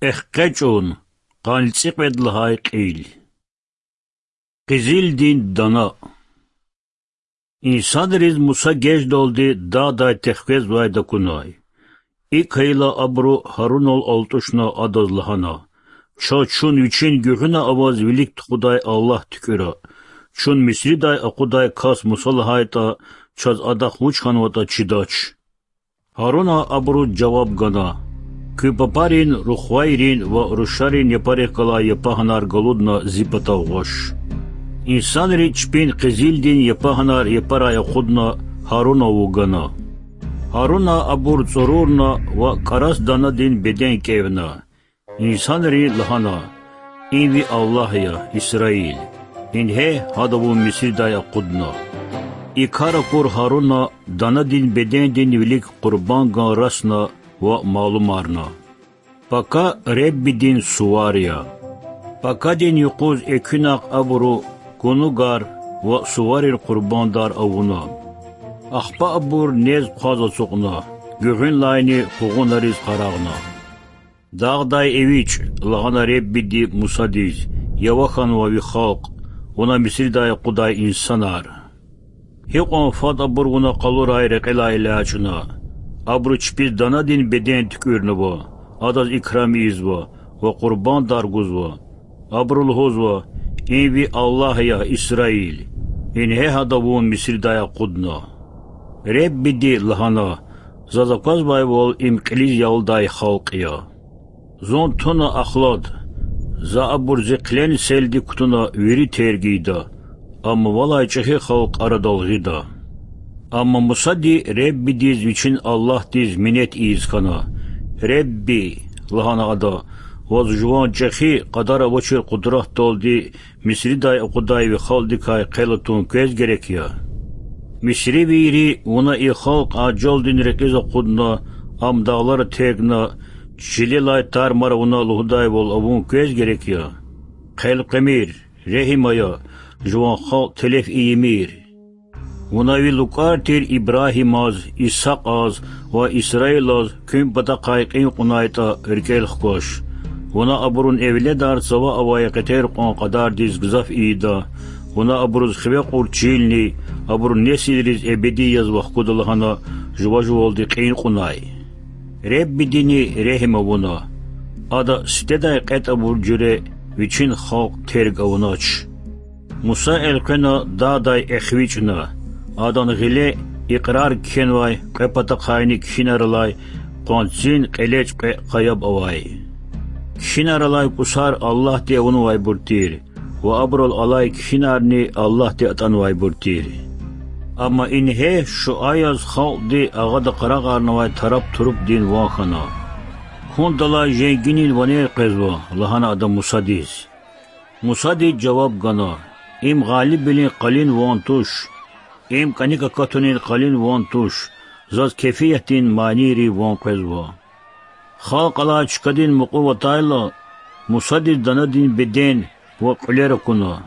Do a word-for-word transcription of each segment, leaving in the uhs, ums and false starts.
Эхкъечӏун, къанни цӏикьвед лагьай кьил. Къизилдин дана. Инсанриз Муса геждалди дагъдай тахквезвайди акунай. Икӏ хьайила абуру Гьарунал алтӏушна адаз лагьана: Чаз чун вичин гуьгъуьна аваз вилик тухудай Аллагь туькӏуьра. Чун Мисридай акъудай кас Муса лагьайтӏа, чаз адахъ вуч хьанватӏа чидач. Гьаруна абуруз жаваб гана: Куь папарин рухвайрин ва рушарин япарихъ галай япагьанар галудна зи патав гъваш. Инсанри чпин къизилдин япагьанар япарай акъудна Гьарунав вугана. Гьаруна абур цӏурурна ва кӏарас данадин беден кӏевна. Инсанри лагьана: Им ви Аллагь я, Исраил. Ингье гьада вун Мисридай акъудна. И кар акур Гьаруна данадин бедендин вилик къурбанган расна ва малумарна: Пака Реббидин сувар я. Пакадин юкъуз экуьнахъ абуру гунугар ва суварин къурбандар авуна. Ахпа абур нез хъваз ацукьна, гуьгъуьнлайни къугъунариз къарагъна. Дагъдай эвичӏ, лагьана Реббиди Мусадиз, ява хьанва ви халкь, вуна Мисридай акъудай инсанар. Гьикьван фад абур вуна къалурай рекьелай элячӏна. Абуру чпиз данадин беден туькӏуьрнава, адаз икрам ийизва ва къурбандар гузва. Абуру лугьузва: Им ви Аллагь я, Исраил. Ингье гьада вун Мисридай акъудна. Реббиди лагьана: Заз аквазвайвал, им кьилиз ялдай халкь я. Зун туна ахлад, за абур зи хъилен селди кутуна вири терг ийида, амма валай чӏехи халкь арадал гъида. Амма Мусади Реббидиз, вичин Аллагьдиз минет ийиз хьана. Ребби, лагьана ада, ваз жуван чӏехи, кьадар авачир къудратдалди Мисридай акъудай ви халкьдикай хъел атун квез герек я? Мисривийри вуна и халкь ажалдин рекьиз акъудна, ам дагълара тергна, чилелай тар-мар авуна лугьудайвал авун квез герек я? Хъел къвемир, регьим ая, жуван халкь телеф ийимир. Вуна ви лукӏар тир Ибрагьимаз, Исакьаз ва Исраилаз куьн патахъай кьин кьунайтӏа, рикӏел хкваш. Вуна абурун эвледар цава авай къетер кьван кьадардиз гзаф ийида, вуна абуруз хиве кьур чилни, абурун несилриз эбеди язва хкуда лагьана жува-жувалди кьин кьунай. Реббидини регьим авуна. Ада сифтедай кьетӏ авур жуьре вичин халкь терг авунач. Муса элкъвена дагъдай эхвичӏна. Адан гъиле икьрар кхьенвай кьве патахъайни кхьинар алай къванцин кьелечӏ кьве къаяб авай. Кхьинар алай кӏусар Аллагьди авунвайбур тир ва абурал алай кхьинарни Аллагьди атӏанвайбур тир. Амма ингье шуа яз халкьди агъада къарагъарнавай тараб-турубдин ван хьана. Кундалай женгинин ванер къвезва, лагьана ада Мусадиз. Мусади жаваб гана: Им гъалибвилин къалин ван туш, им кӏаник акатунин къалин ван туш, заз кефиятдин манийрин ван къвезва. Халкь алай чкадин мукьув атайла, Мусадиз данадин беден ва кьуьлер акуна.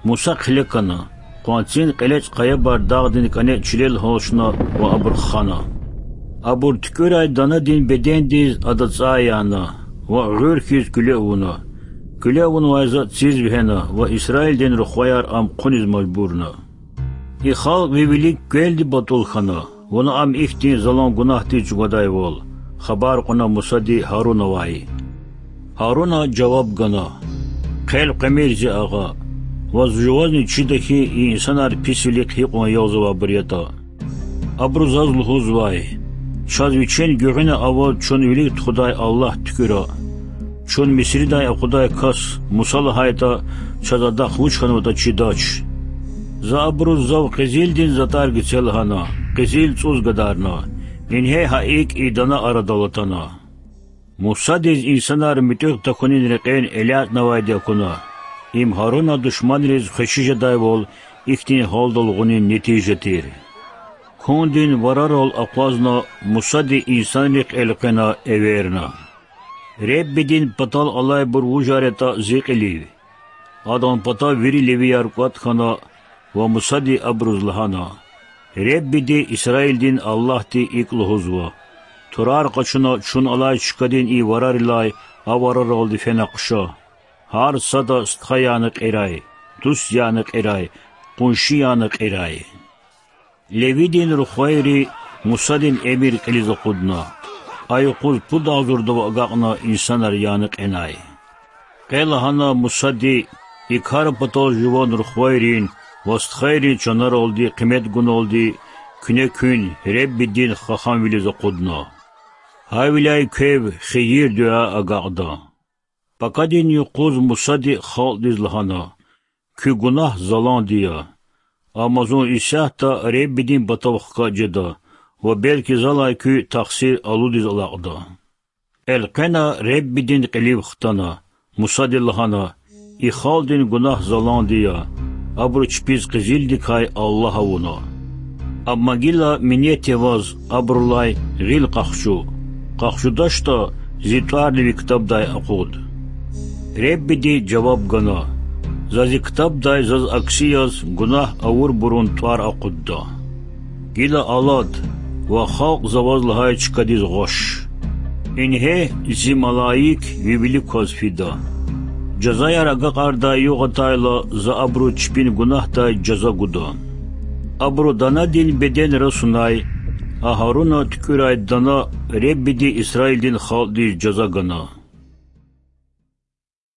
Муса хъиле кана, къванцин кьелечӏ къаябар дагъдин кӏане чилел гьалчна ва абур хана. Абур туькӏуьрай данадин бедендиз ада цӏай яна ва гъуьр хьиз куьле авуна. Куьле авунвай затӏ циз вегьена ва Исраилдин рухваяр ам хъуниз мажбурна. И халкь ви вилик квелди батӏул хьана, вуна ам ихьтин залан гунагьдиз чӏугвадайвал, хабар кьуна Мусади Гьарунавай. Гьаруна жаваб гана: Хъел къвемир, зи агъа, ваз жувазни чида хьи, и инсанар писвилихъ гьикьван ягъзавайбур ятӏа. Абуру заз лугьузвай: Чаз вичин гуьгъуьна аваз чун вилик тухудай Аллагь туькӏуьра. Чун Мисридай акъудай кас Муса лагьайтӏа, чаз адахъ вуч хьанватӏа чидач. За абуруз зав къизилдин затӏар гице лагьана, къизил цӏуз гадарна. Ингье гьа икӏ и дана арадал атана. Мусадиз инсанар муьтӏуьгъ тахьунин рекьел элячӏнавайди акуна. Им Гьаруна душманриз хвеши жедайвал ихьтин гьалдал гъунин нетижа тир. Кундин варарал акъвазна, Мусади инсанрихъ элкъвена эверна: Реббидин патал алайбур вужар ятӏа зи кьилив? Адан патав вири левияр кӏватӏ хьана ва Мусади абуруз лагьана: Реббиди, Исраилдин Аллагьди икӏ лугьузва: Турар къачуна чун алай чкадин и варарилай авараралди фена хъша, гьар сада стха яна кьирай, дуст яна кьирай, къунши яна кьирай. Левидин рухвайри Мусадин эмир кьилиз акъудна, а юкъуз пуд агъзурдав агакьна инсанар яна кьенай. Къе лагьана Мусади и кар патал жуван рухвайрин ва стхайрин чанаралди къимет гуналди куьне куьн Реббидин хаханвилиз акъудна. Гьавиляй квев хийир-дуьа агакьда. Пакадин юкъуз Мусади халкьдиз лагьана: Куь гунагь заланди я. Амма зун исятда Реббидин патав хкаж жеда ва белки залай куь тахсир алудиз алакьда. Элкъвена Реббидин кьилив хтана, Мусади лагьана: И халкьдин гунагь заланди я, абуру чпиз къизилдикай аллагь авуна. Амма гила минетдивай абурулай гъил къахчу, къахчудачтӀа, зи тӀварни ви ктабдай акъуд. Реббиди жаваб гана: За зи ктабдай заз акси яз гунагь авурбурун тӀвар акъудда. Гила алад ва халкь за ваз лагьай чкадиз гъваш. Ингье, зи малаик ви вилик кваз фида. Жазаяр агакьардай югъ атайла, за абуру чпин гунагьдай жаза гуда. Абуру данадин беденра сунай, Агьаруна туькӀуьрай дана Реббиди Исраилдин халкьдиз жаза гана.